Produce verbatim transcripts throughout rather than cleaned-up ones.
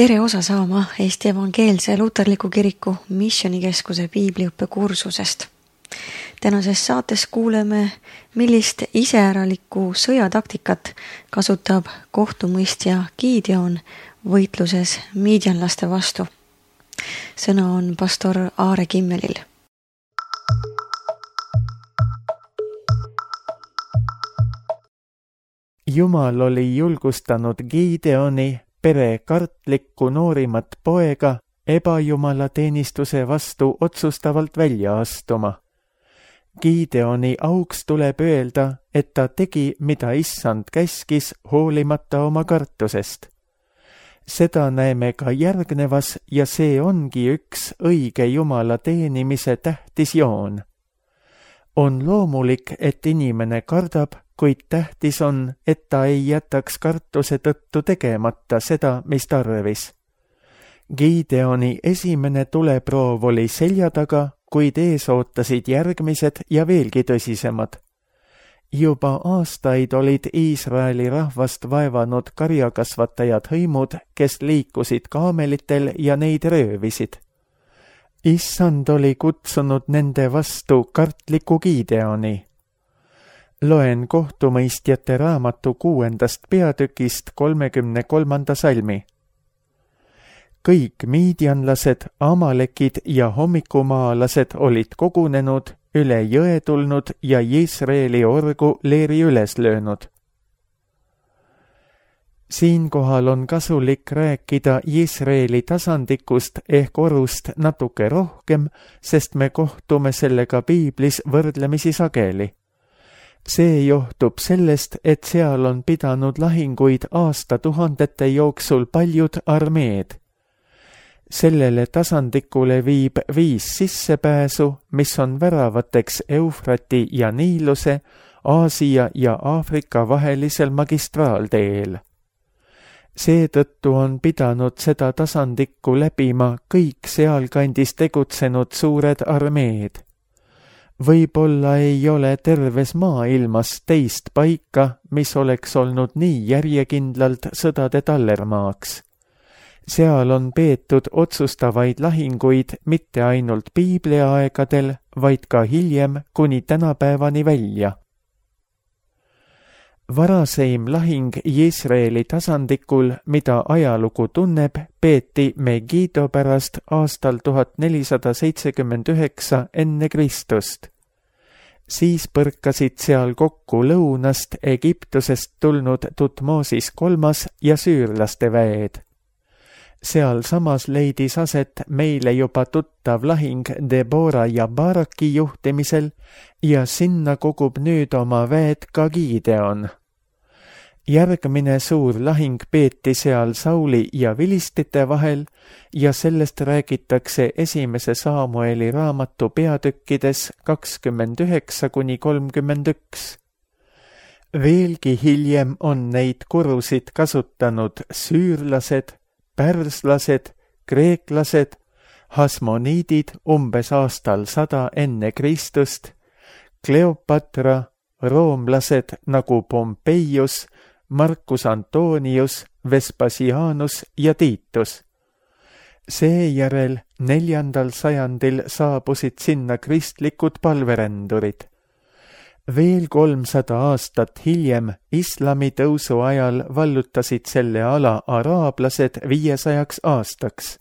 Tere osa saama Eesti Evangeelse Luterliku Kiriku Missionikeskuse piibliõppekursusest. Tänases saates kuuleme, millist iseäralikku sõjataktikat kasutab kohtumõistja Gideon võitluses miidjanlaste vastu. Sõna on pastor Aare Kimmelil. Jumal oli julgustanud Gideoni, pere kartlikku noorimat poega, ebajumala teenistuse vastu otsustavalt välja astuma. Gideoni auks tuleb öelda, et ta tegi, mida issand käskis, hoolimata oma kartusest. Seda näeme ka järgnevas ja see ongi üks õige Jumala teenimise tähtis joon. On loomulik, et inimene kardab, kuid tähtis on, et ta ei jätaks kartuse tõttu tegemata seda, mis tarvis. Gideoni esimene tuleproov oli selja taga, kuid ees ootasid järgmised ja veelgi tõsisemad. Juba aastaid olid Iisraeli rahvast vaevanud karjakasvatajad hõimud, kes liikusid kaamelitel ja neid röövisid. Issand oli kutsunud nende vastu kartliku Gideoni. Loen kohtumõistjate raamatu kuuendast peatükist kolmekümne kolmanda salmi. Kõik miidjanlased, amalekid ja hommikumaalased olid kogunenud, üle jõe tulnud ja Iisraeli orgu leeri üles löönud. Siinkohal on kasulik rääkida Iisraeli tasandikust ehk orust natuke rohkem, sest me kohtume sellega piiblis võrdlemisi sageli. See johtub sellest, et seal on pidanud lahinguid aastatuhandete jooksul paljud armeed. Sellele tasandikule viib viis sissepääsu, mis on väravateks Eufrati ja Niiluse, Aasia ja Aafrika vahelisel magistraaldeel. Seetõttu on pidanud seda tasandikku läbima kõik sealkandis tegutsenud suured armeed. Võib-olla ei ole terves maailmas teist paika, mis oleks olnud nii järjekindlalt sõdade tallermaaks. Seal on peetud otsustavaid lahinguid mitte ainult piibliaegadel, vaid ka hiljem kuni tänapäevani välja. Varaseim lahing Iisraeli tasandikul, mida ajalugu tunneb, peeti Megido pärast aastal tuhat nelisada seitsekümmend üheksa enne Kristust. Siis põrkasid seal kokku lõunast Egiptusest tulnud Tutmosis kolmas ja süürlaste väed. Seal samas leidis aset meile juba tuttav lahing Debora ja Baraki juhtimisel ja sinna kogub nüüd oma väed ka Gideon. Järgmine suur lahing peeti seal Sauli ja vilistite vahel ja sellest räägitakse esimese Saamueli raamatu peatükkides kakskümmend üheksa kuni kolmkümmend üks. Veelgi hiljem on neid kurusid kasutanud süürlased, pärslased, kreeklased, hasmoniidid umbes aastal sada enne Kristust, Kleopatra, roomlased nagu Pompeius, Marcus Antonius, Vespasianus ja Titus. Seejärel neljandal sajandil saabusid sinna kristlikud palverändurid. Veel kolmsada aastat hiljem islami tõusu ajal vallutasid selle ala araablased viiesajaks aastaks.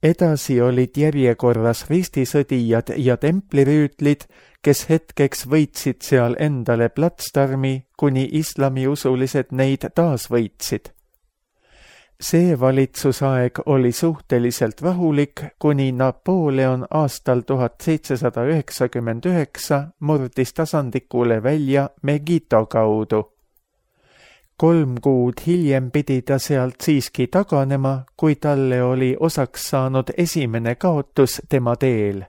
Edasi olid järjekorras ristisõdijad ja templirüütlid, kes hetkeks võitsid seal endale platsdarmi, kuni islamiusulised neid taas võitsid. See valitsusaeg oli suhteliselt rahulik, kuni Napoleon aastal tuhat seitsesada üheksakümmend üheksa murdis tasandikule välja Megiddo kaudu. Kolm kuud hiljem pidi ta sealt siiski taganema, kui talle oli osaks saanud esimene kaotus tema teel.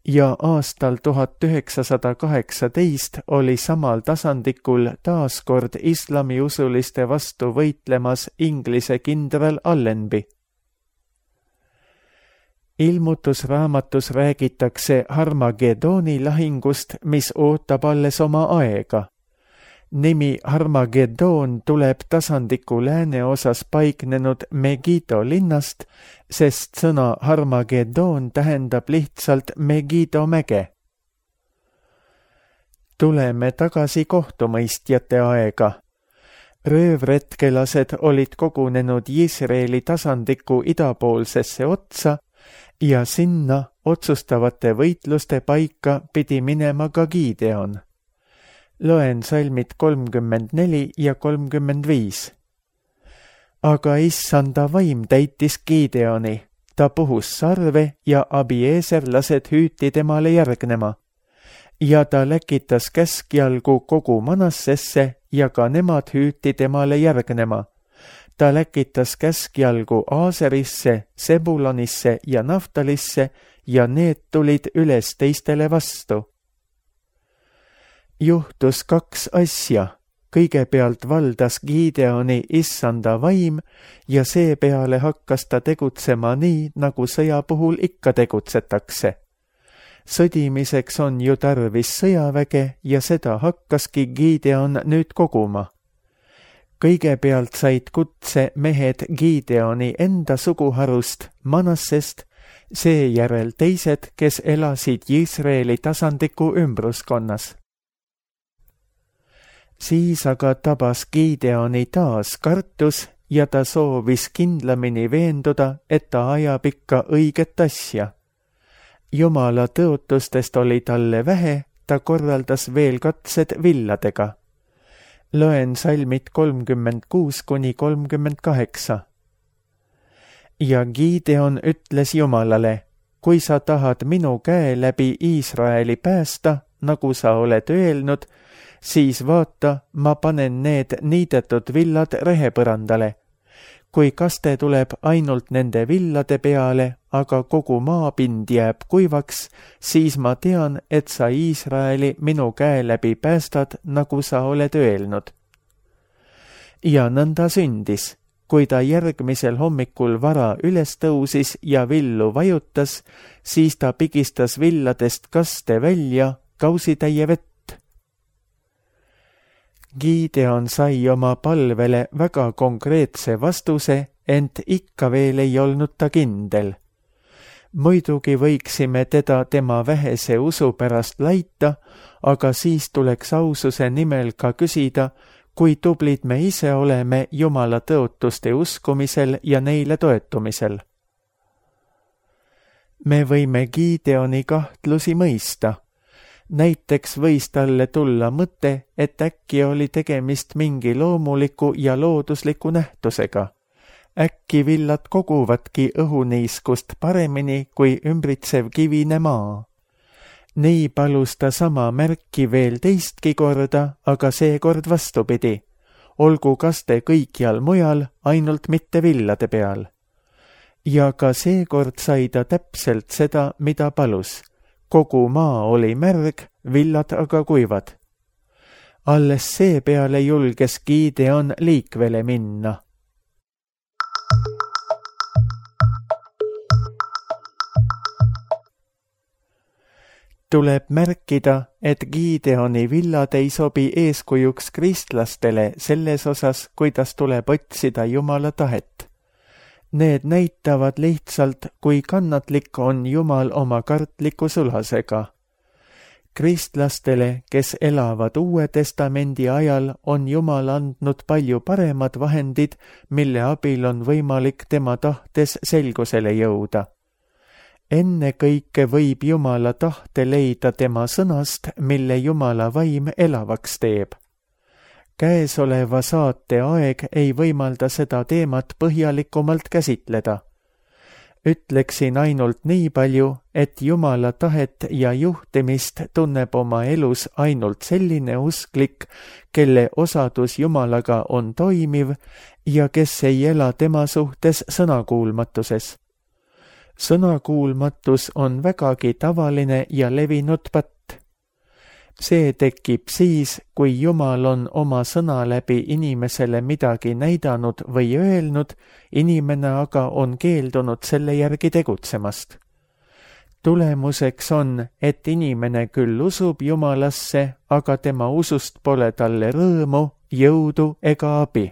Ja aastal tuhat üheksasada kaheksateist oli samal tasandikul taaskord islamiusuliste vastu võitlemas Inglise kindral Allenby. Ilmutusraamatus räägitakse Harmagedoni lahingust, mis ootab alles oma aega. Nimi Harmageddon tuleb tasandiku lääneosas paiknenud Megiddo linnast, sest sõna Harmageddon tähendab lihtsalt Megiddo mäge. Tuleme tagasi kohtumõistjate aega. Röövretkelased olid kogunenud Iisraeli tasandiku idapoolsesse otsa ja sinna otsustavate võitluste paika pidi minema ka Gideon. Loen salmid kolmkümmend neli ja kolmkümmend viis. Aga issanda vaim täitis Gideoni, ta puhus sarve ja abieeserlased hüüti temale järgnema. Ja ta läkitas käskjalgu kogu Manassesse ja ka nemad hüüti temale järgnema. Ta läkitas käskjalgu Aaserisse, Sebulonisse ja Naftalisse ja need tulid üles teistele vastu. Juhtus kaks asja. Kõigepealt valdas Gideoni issanda vaim ja seepeale hakkas ta tegutsema nii, nagu sõja puhul ikka tegutsetakse. Sõdimiseks on ju tarvis sõjaväge ja seda hakkaski Gideon nüüd koguma. Kõigepealt said kutse mehed Gideoni enda suguharust Manassest, seejärel teised, kes elasid Iisraeli tasandiku ümbruskonnas. Siis aga tabas Gideoni taas kartus ja ta soovis kindlamini veenduda, et ta ajab ikka õiget asja. Jumala tõotustest oli talle vähe, ta korraldas veel katsed villadega. Loen salmid kolmkümmend kuus kuni kolmkümmend kaheksa. Ja Gideon ütles Jumalale, kui sa tahad minu käe läbi Iisraeli päästa, nagu sa oled öelnud, siis vaata, ma panen need niidetud villad rehepõrandale. Kui kaste tuleb ainult nende villade peale, aga kogu maapind jääb kuivaks, siis ma tean, et sa Iisraeli minu käe läbi päästad, nagu sa oled öelnud. Ja nõnda sündis. Kui ta järgmisel hommikul vara üles tõusis ja villu vajutas, siis ta pigistas villadest kaste välja kausitäie vett. Gideon sai oma palvele väga konkreetse vastuse, ent ikka veel ei olnud ta kindel. Muidugi võiksime teda tema vähese usu pärast laita, aga siis tuleks aususe nimel ka küsida, kui tublid me ise oleme Jumala tõotuste uskumisel ja neile toetumisel. Me võime Gideoni kahtlusi mõista. Näiteks võis talle tulla mõte, et äkki oli tegemist mingi loomuliku ja loodusliku nähtusega. Äkki villad koguvadki õhuniiskust paremini kui ümbritsev kivine maa. Nii palus ta sama märki veel teistki korda, aga seekord vastupidi. Olgu kaste kõikjal mujal, ainult mitte villade peal. Ja ka seekord sai ta täpselt seda, mida palus. Kogu maa oli märg, villad aga kuivad. Alles seepeale julges Gideon liikvele minna. Tuleb märkida, et Gideoni villad ei sobi eeskujuks kristlastele selles osas, kuidas tuleb otsida Jumala tahet. Need näitavad lihtsalt, kui kannatlik on Jumal oma kartliku sulasega. Kristlastele, kes elavad Uue Testamendi ajal, on Jumal andnud palju paremad vahendid, mille abil on võimalik tema tahtes selgusele jõuda. Enne kõike võib Jumala tahte leida tema sõnast, mille Jumala vaim elavaks teeb. Käesoleva saate aeg ei võimalda seda teemat põhjalikumalt käsitleda. Ütleksin ainult nii palju, et Jumala tahet ja juhtimist tunneb oma elus ainult selline usklik, kelle osadus Jumalaga on toimiv ja kes ei ela tema suhtes sõnakuulmatuses. Sõnakuulmatus on vägagi tavaline ja levinud patt. See tekib siis, kui Jumal on oma sõna läbi inimesele midagi näidanud või öelnud, inimene aga on keeldunud selle järgi tegutsemast. tulemuseks on, et inimene küll usub Jumalasse, aga tema usust pole talle rõõmu, jõudu ega abi.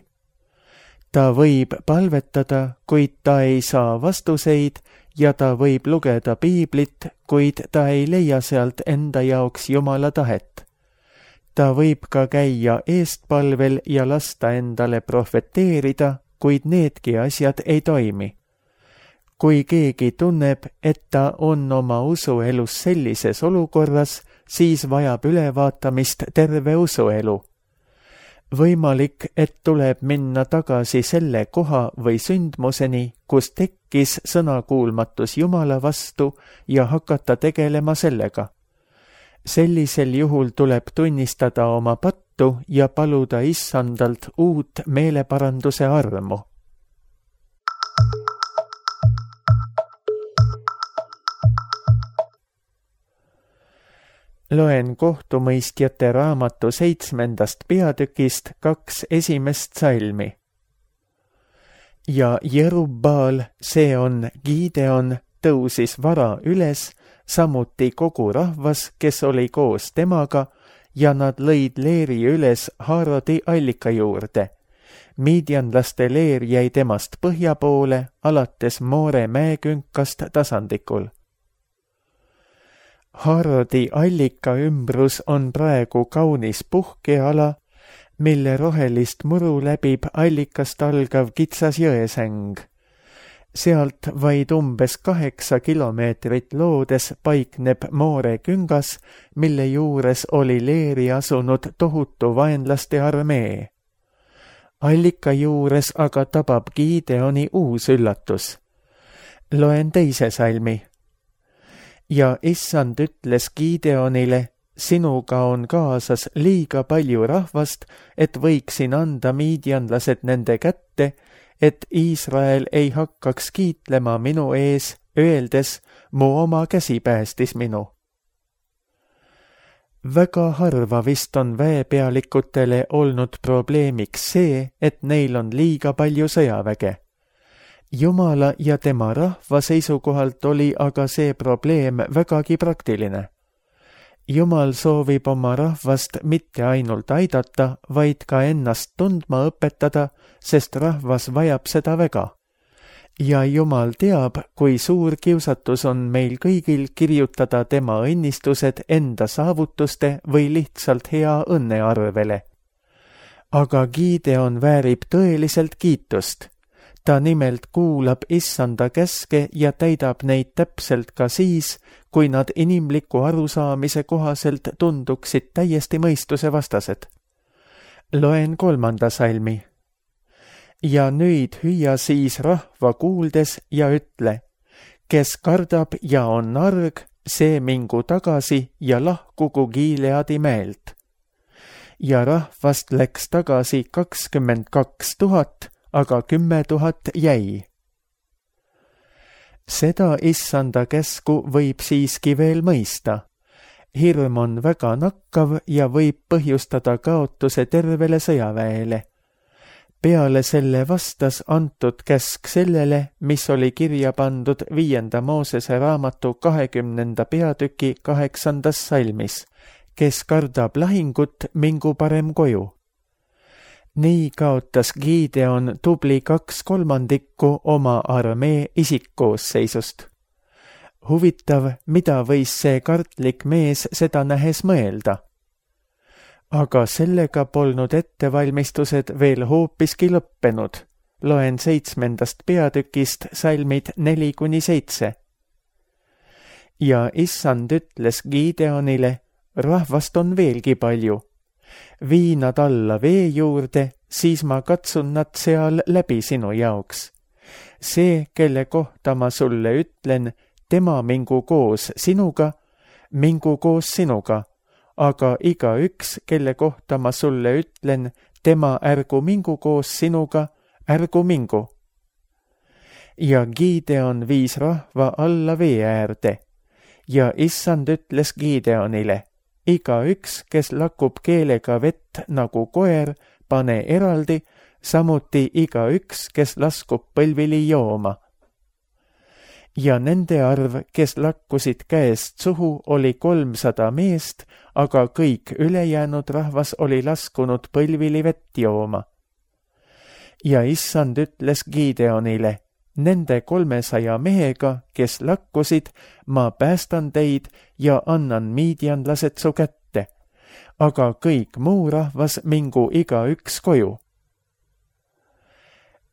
Ta võib palvetada, kuid ta ei saa vastuseid ja ta võib lugeda piiblit, kuid ta ei leia sealt enda jaoks Jumala tahet. Ta võib ka käia eestpalvel ja lasta endale profeteerida, kuid needki asjad ei toimi. Kui keegi tunneb, et ta on oma usuelus sellises olukorras, siis vajab ülevaatamist terve usuelu. Võimalik, et tuleb minna tagasi selle koha või sündmuseni, kus tekkis sõnakuulmatus Jumala vastu ja hakata tegelema sellega. Sellisel juhul tuleb tunnistada oma pattu ja paluda Issandalt uut meeleparanduse armu. Loen kohtumõistjate raamatu seitsmendast peatükist kaks esimest salmi. Ja Jerubbaal, see on Gideon, tõusis vara üles, samuti kogu rahvas, kes oli koos temaga, ja nad lõid leeri üles Haarodi allika juurde. Midianlaste leer jäi temast põhja poole, alates Moore mäekünkast tasandikul. Haarodi allika ümbrus on praegu kaunis puhkeala, mille rohelist muru läbib allikast algav kitsas jõesäng. Sealt vaid umbes kaheksa kilomeetrit loodes paikneb Moore küngas, mille juures oli leeri asunud tohutu vaenlaste armee. Allika juures aga tabab Gideoni uus üllatus. Loen teise salmi. Ja Issand ütles Gideonile, sinuga on kaasas liiga palju rahvast, et võiksin anda miidianlased nende kätte, et Iisrael ei hakkaks kiitlema minu ees, öeldes, mu oma käsi päästis minu. Väga harva vist on väepealikutele olnud probleemiks see, et neil on liiga palju sõjaväge. Jumala ja tema rahva seisukohalt oli aga see probleem vägagi praktiline. Jumal soovib oma rahvast mitte ainult aidata, vaid ka ennast tundma õpetada, sest rahvas vajab seda väga. Ja Jumal teab, kui suur kiusatus on meil kõigil kirjutada tema õnnistused enda saavutuste või lihtsalt hea õnne arvele. Aga Gideon väärib tõeliselt kiitust. Ta nimelt kuulab Issanda käske ja täidab neid täpselt ka siis, kui nad inimliku arusaamise kohaselt tunduksid täiesti mõistuse vastased. Loen kolmanda salmi. Ja nüüd hüüa siis rahva kuuldes ja ütle, kes kardab ja on arg, see mingu tagasi ja lahkugu Gileadi mäelt. Ja rahvast läks tagasi kakskümmend kaks tuhat, aga kümme tuhat jäi. Seda Issanda käsku võib siiski veel mõista. Hirm on väga nakkav ja võib põhjustada kaotuse tervele sõjaväele. Peale selle vastas antud käsk sellele, mis oli kirja pandud viienda Moosese raamatu kahekümnenda peatüki kaheksandas salmis, kes kardab lahingut, mingu parem koju. Nii kaotas Gideon tubli kaks kolmandikku oma armee isikkoosseisust. Huvitav, mida võis see kartlik mees seda nähes mõelda. Aga sellega polnud ettevalmistused veel hoopiski lõppenud. Loen seitsmendast peatükist salmid neli kuni seitse. Ja Issand ütles Gideonile, rahvast on veelgi palju. Vii nad alla vee juurde, siis ma katsun nad seal läbi sinu jaoks. See, kelle kohta ma sulle ütlen, tema mingu koos sinuga, mingu koos sinuga, aga igaüks, kelle kohta ma sulle ütlen, tema ärgu mingu koos sinuga, ärgu mingu. Ja Gideon viis rahva alla vee äärde ja Issand ütles Gideonile, igaüks, kes lakub keelega vett nagu koer, pane eraldi, samuti igaüks, kes laskub põlvili jooma. ja nende arv, kes lakkusid käest suhu, oli kolmsada meest, aga kõik ülejäänud rahvas oli laskunud põlvili vett jooma. Ja issand ütles Gideonile, nende kolmesaja mehega, kes lakkusid, ma päästan teid ja annan miidianlased su kätte, aga kõik muu rahvas mingu igaüks koju.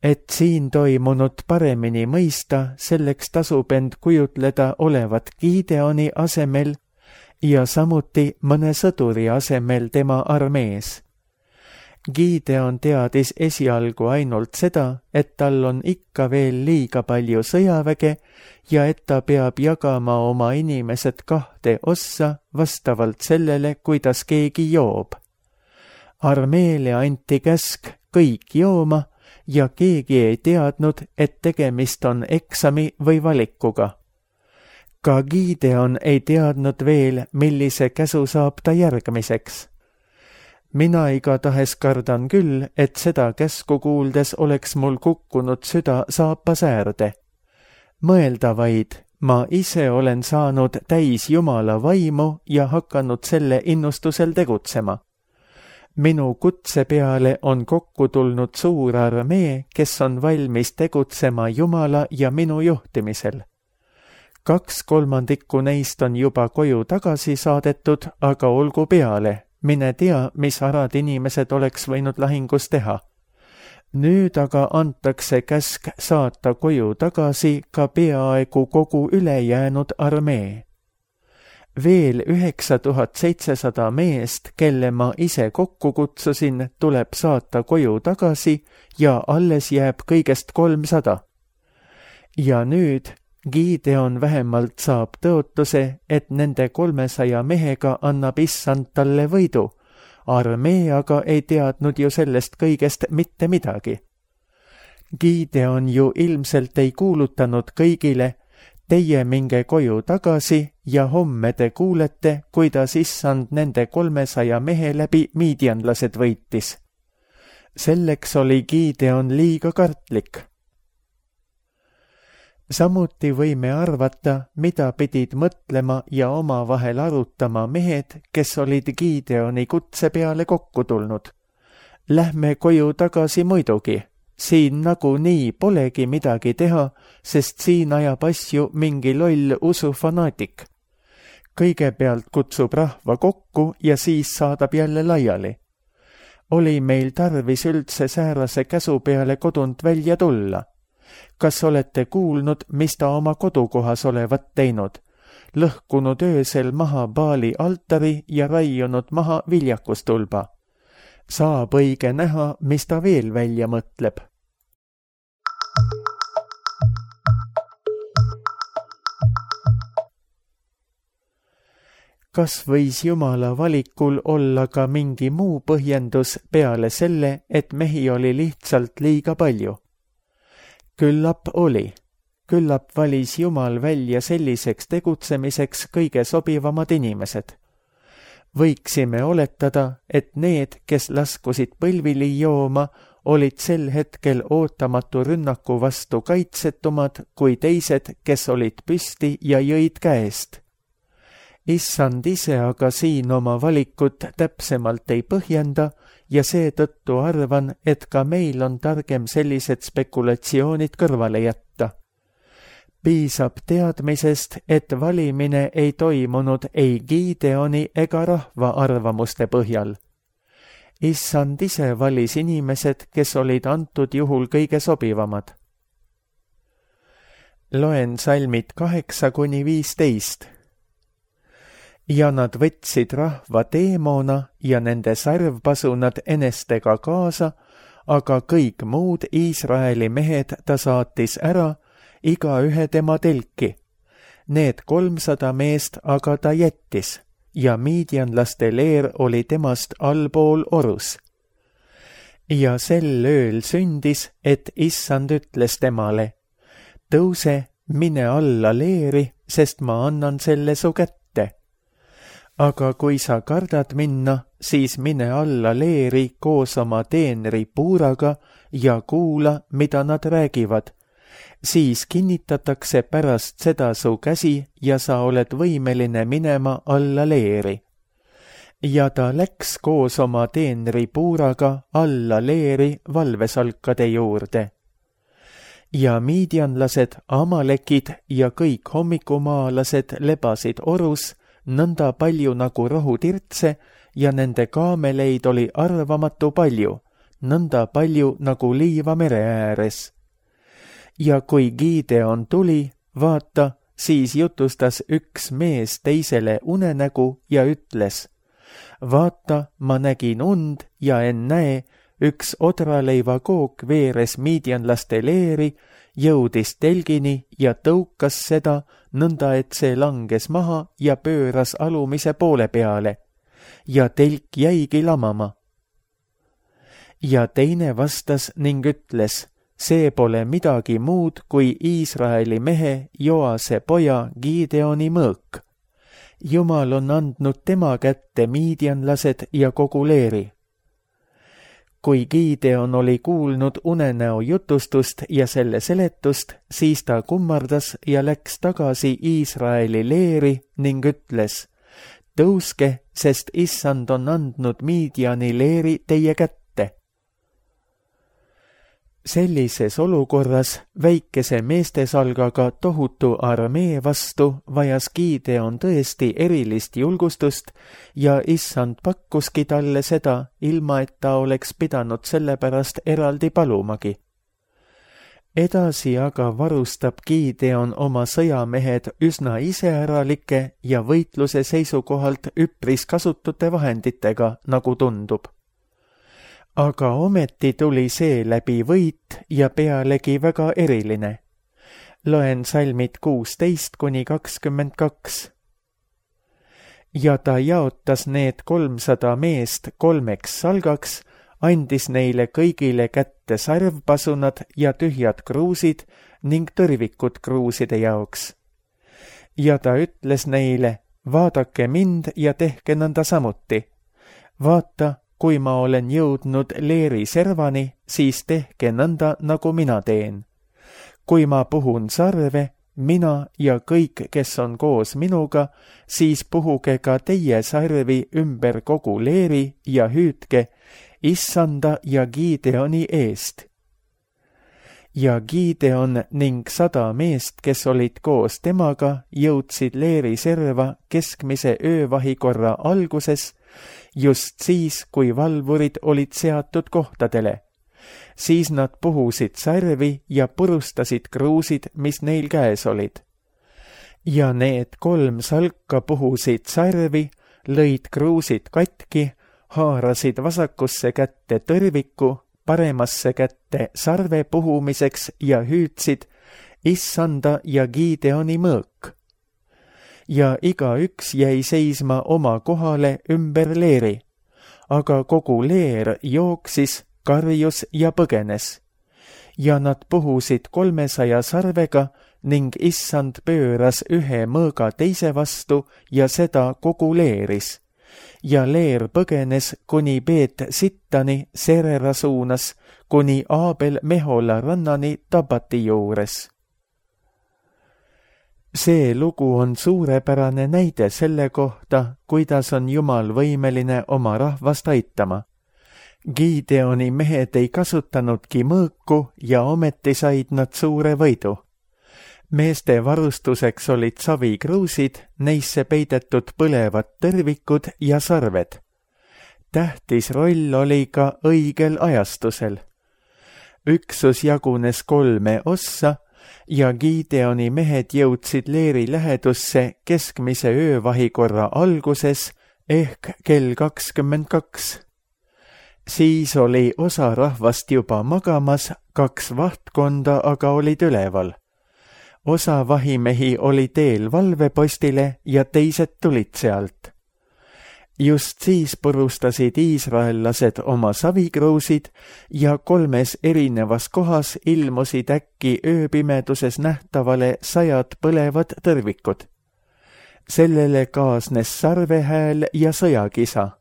Et siin toimunut paremini mõista, selleks tasub end kujutleda olevat Gideoni asemel ja samuti mõne sõduri asemel tema armees. Gideon teadis esialgu ainult seda, et tal on ikka veel liiga palju sõjaväge ja et ta peab jagama oma inimesed kahte ossa vastavalt sellele, kuidas keegi joob. Armeele anti käsk kõik jooma ja keegi ei teadnud, et tegemist on eksami või valikuga. Ka Gideon ei teadnud veel, millise käsu saab ta järgmiseks. Mina igatahes kardan küll, et seda käsku kuuldes oleks mul kukkunud süda saapasäärde. Mõelda vaid, ma ise olen saanud täis Jumala vaimu ja hakanud selle innustusel tegutsema. Minu kutse peale on kokku tulnud suur armee, kes on valmis tegutsema Jumala ja minu juhtimisel. Kaks kolmandikku neist on juba koju tagasi saadetud, aga olgu peale. Mine tea, mis arad inimesed oleks võinud lahingus teha. Nüüd aga antakse käsk saata koju tagasi ka peaaegu kogu ülejäänud armee. Veel üheksa tuhat seitsesada meest, kelle ma ise kokku kutsusin, tuleb saata koju tagasi ja alles jääb kõigest kolmsada. Ja nüüd Gideon vähemalt saab tõotuse, et nende kolmesaja mehega annab issand talle võidu. Armee aga ei teadnud ju sellest kõigest mitte midagi. Gideon ju ilmselt ei kuulutanud kõigile, teie minge koju tagasi ja homme te kuulete, kuidas issand nende kolmesaja mehe läbi miidianlased võitis. Selleks oli Gideon liiga kartlik. Samuti võime arvata, mida pidid mõtlema ja omavahel arutama mehed, kes olid Gideoni kutse peale kokku tulnud. Lähme koju tagasi muidugi. Siin nagunii polegi midagi teha, sest siin ajab asju mingi loll usufanaatik. Kõigepealt kutsub rahva kokku ja siis saadab jälle laiali. Oli meil tarvis üldse säärase käsu peale kodunt välja tulla? Kas olete kuulnud, mis ta oma kodukohas olevat teinud? Lõhkunud öösel maha Baali altari ja raiunud maha viljakustulba. Saab õige näha, mis ta veel välja mõtleb. Kas võis Jumala valikul olla ka mingi muu põhjendus peale selle, et mehi oli lihtsalt liiga palju? Küllap oli. Küllap valis Jumal välja selliseks tegutsemiseks kõige sobivamad inimesed. Võiksime oletada, et need, kes laskusid põlvili jooma, olid sel hetkel ootamatu rünnaku vastu kaitsetumad kui teised, kes olid püsti ja jõid käest. Issand ise aga siin oma valikut täpsemalt ei põhjenda ja seetõttu arvan, et ka meil on targem sellised spekulatsioonid kõrvale jätta. Piisab teadmisest, et valimine ei toimunud ei Gideoni ega rahva arvamuste põhjal. Issand ise valis inimesed, kes olid antud juhul kõige sobivamad. Loen salmid kaheksa kuni viisteist. Ja nad võtsid rahva teemona ja nende sarvpasunad enestega kaasa, aga kõik muud Iisraeli mehed ta saatis ära, iga ühe tema telki. Need kolmsada meest aga ta jättis ja miidianlaste leer oli temast allpool orus. Ja sel ööl sündis, et issand ütles temale, tõuse, mine alla leeri, sest ma annan selle su kätte. Aga kui sa kardad minna, siis mine alla leeri koos oma teenri puuraga ja kuula, mida nad räägivad. siis kinnitatakse pärast seda su käsi ja sa oled võimeline minema alla leeri. Ja ta läks koos oma teenri puuraga alla leeri valvesalkade juurde. Ja miidianlased, amalekid ja kõik hommikumaalased lebasid orus nõnda palju nagu rohutirtse ja nende kaameleid oli arvamatu palju, nõnda palju nagu liiva mere ääres. Ja kui Gideon tuli, vaata, siis jutustas üks mees teisele unenägu ja ütles: vaata, ma nägin und ja ennäe, üks odraleiva kook veeres miidianlaste leeri, jõudis telgini ja tõukas seda nõnda, et see langes maha ja pööras alumise poole peale. Ja telk jäigi lamama. Ja teine vastas ning ütles: see pole midagi muud kui Iisraeli mehe Joase poja Gideoni mõõk. Jumal on andnud tema kätte miidianlased ja kogu leeri. Kui Gideon oli kuulnud unenäo jutustust ja selle seletust, siis ta kummardas ja läks tagasi Iisraeli leeri ning ütles: tõuske, sest Issand on andnud Midiani leeri teie kätte. Sellises olukorras väikese meestesalgaga tohutu armee vastu vajas Gideon tõesti erilist julgustust ja Issand pakkuski talle seda, ilma et ta oleks pidanud selle pärast eraldi palumagi. Edasi aga varustab Gideon oma sõjamehed üsna iseäralike ja võitluse seisukohalt üpris kasutute vahenditega, nagu tundub. Aga ometi tuli see läbi võit ja pealegi väga eriline. Loen salmid kuusteist kuni kakskümmend kaks. Ja ta jaotas need kolmsada meest kolmeks salgaks, andis neile kõigile kätte sarvpasunad ja tühjad kruusid ning tõrvikud kruuside jaoks. Ja ta ütles neile: vaadake mind ja tehke nõnda samuti. Vaata, kui ma olen jõudnud leeri servani, siis tehke nõnda, nagu mina teen. Kui ma puhun sarve, mina ja kõik, kes on koos minuga, siis puhuge ka teie sarvi ümber kogu leeri ja hüüdke Issanda ja Gideoni eest. Ja Gideon ning sada meest, kes olid koos temaga, jõudsid leeri serva keskmise öövahikorra alguses, just siis, kui valvurid olid seatud kohtadele. Siis nad puhusid sarvi ja purustasid kruusid, mis neil käes olid. Ja need kolm salka puhusid sarvi, lõid kruusid katki, haarasid vasakusse kätte tõrviku, paremasse kätte sarve puhumiseks ja hüüdsid Issanda ja Gideoni mõõk. Ja igaüks jäi seisma oma kohale ümber leeri, aga kogu leer jooksis, karjus ja põgenes. Ja nad puhusid kolmesaja sarvega ning Issand pööras ühe mõõga teise vastu ja seda kogu leeris. Ja leer põgenes kuni Beet Sittani Serera suunas, kuni Aabel Mehola rannani Tabati juures. See lugu on suurepärane näide selle kohta, kuidas on Jumal võimeline oma rahvast aitama. Gideoni mehed ei kasutanudki mõõku ja ometi said nad suure võidu. Meeste varustuseks olid savikruusid, neisse peidetud põlevad tõrvikud ja sarved. Tähtis roll oli ka õigel ajastusel. Üksus jagunes kolme ossa ja Gideoni mehed jõudsid leeri lähedusse keskmise öövahikorra alguses ehk kell kakskümmend kaks. Siis oli osa rahvast juba magamas, kaks vahtkonda aga olid üleval. Osa vahimehi oli teel valvepostile ja teised tulid sealt. Just siis purustasid iisraellased oma savikruusid ja kolmes erinevas kohas ilmusid äkki ööpimeduses nähtavale sajad põlevad tõrvikud. Sellele kaasnes sarvehääl ja sõjakisa.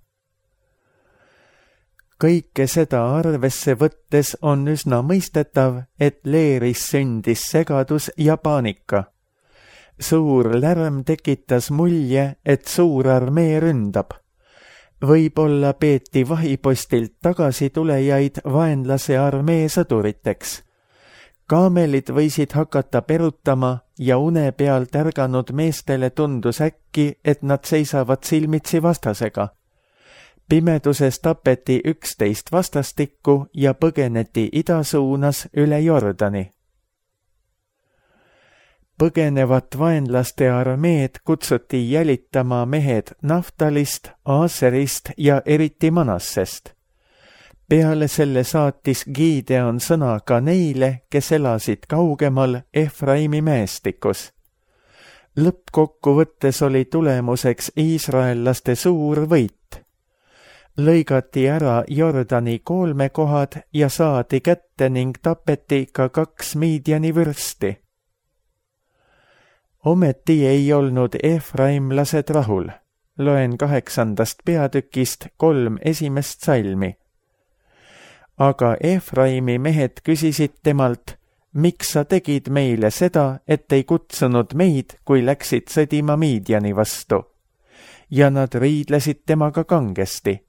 Kõike seda arvesse võttes on üsna mõistetav, et leeris sündis segadus ja paanika. Suur lärm tekitas mulje, et suur armee ründab. Võib-olla peeti vahipostilt tagasi tulejaid vaenlase armee sõduriteks. Kaamelid võisid hakata perutama ja une peal tärganud meestele tundus äkki, et nad seisavad silmitsi vastasega. Pimeduses tapeti üksteist vastastikku ja põgeneti idasuunas üle Jordani. Põgenevat vaenlaste armeed kutsuti jälitama mehed Naftalist, Aaserist ja eriti Manassest. Peale selle saatis Gideon sõna ka neile, kes elasid kaugemal Efraimi mäestikus. Lõppkokkuvõttes oli tulemuseks iisraellaste suur võit. Lõigati ära Jordani kolmekohad ja saadi kätte ning tapeti ka kaks Midiani vürsti. Ometi ei olnud efraimlased rahul. Loen kaheksandast peatükist kolm esimest salmi. Aga Efraimi mehed küsisid temalt, miks sa tegid meile seda, et ei kutsunud meid, kui läksid sõdima Midiani vastu. Ja nad riidlesid temaga kangesti.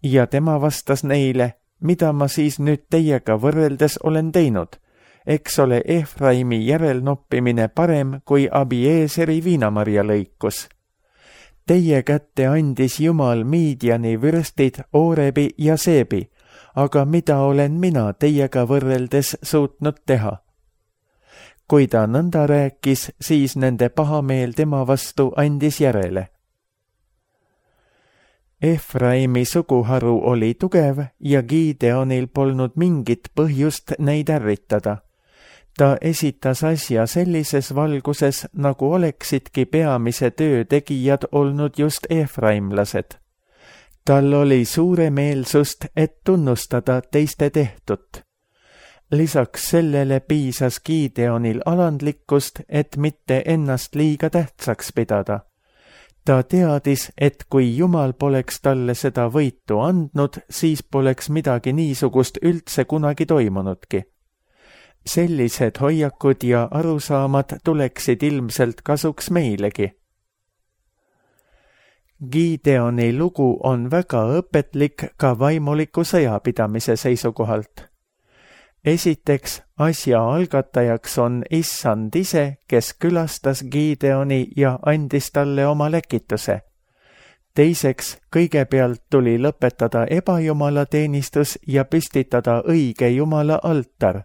Ja tema vastas neile, mida ma siis nüüd teiega võrreldes olen teinud. Eks ole Efraimi järelnoppimine parem kui Abieseri viinamarja lõikus. Teie kätte andis Jumal Midiani vürstid Oorebi ja Seebi, aga mida olen mina teiega võrreldes suutnud teha? Kui ta nõnda rääkis, siis nende pahameel tema vastu andis järele. Efraimi suguharu oli tugev ja Gideonil polnud mingit põhjust neid ärritada. Ta esitas asja sellises valguses, nagu oleksidki peamise töö tegijad olnud just efraimlased. Tal oli suure meelsust, et tunnustada teiste tehtut. Lisaks sellele piisas Gideonil alandlikkust, et mitte ennast liiga tähtsaks pidada. Ta teadis, et kui Jumal poleks talle seda võitu andnud, siis poleks midagi niisugust üldse kunagi toimunudki. Sellised hoiakud ja arusaamad tuleksid ilmselt kasuks meilegi. Gideoni lugu on väga õpetlik ka vaimuliku sõjapidamise seisukohalt. Esiteks, asja algatajaks on Issand ise, kes külastas Gideoni ja andis talle oma läkituse. Teiseks, kõigepealt tuli lõpetada ebajumala teenistus ja püstitada õige Jumala altar.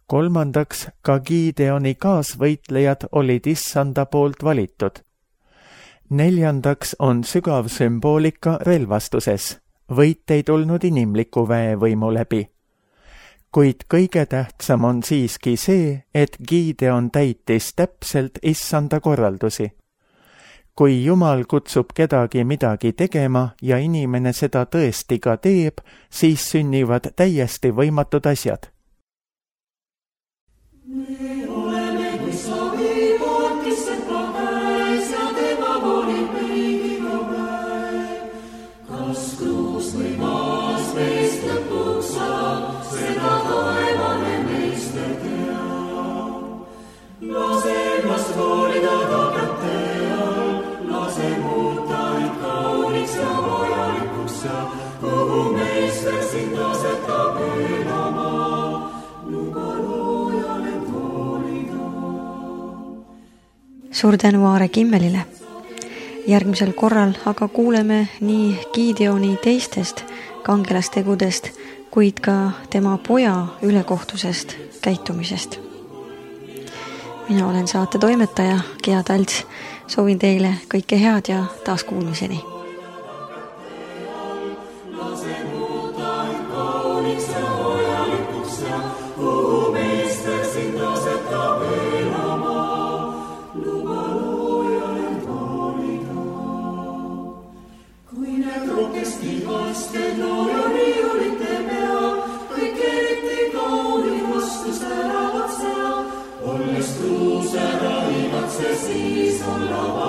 Kolmandaks, ka Gideoni kaasvõitlejad olid Issanda poolt valitud. Neljandaks on sügav sümboolika relvastuses. Võit ei tulnud inimliku väevõimu läbi. Kuid kõige tähtsam on siiski see, et Gideon täitis täpselt Issanda korraldusi. Kui Jumal kutsub kedagi midagi tegema ja inimene seda tõesti ka teeb, siis sünnivad täiesti võimatud asjad. Me oleme kui savipood, kes seda käes ja tema volib meigiga päev. Kas kruus või maas meist lõpuks saab, seda taevane meister teab. Lase ennast hoolida ta kätte all, lase muuta end kauniks ja vajalikuks ja kuhu meister sind asetab elama. Suur tänu Aare Kimmelile. Järgmisel korral aga kuuleme nii Gideoni teistest kangelastegudest, kuid ka tema poja ülekohtusest käitumisest. Mina olen saate toimetaja Gea Talts. Soovin teile kõike head ja taas kuulmiseni. Olles truuse raivad see siis on lava.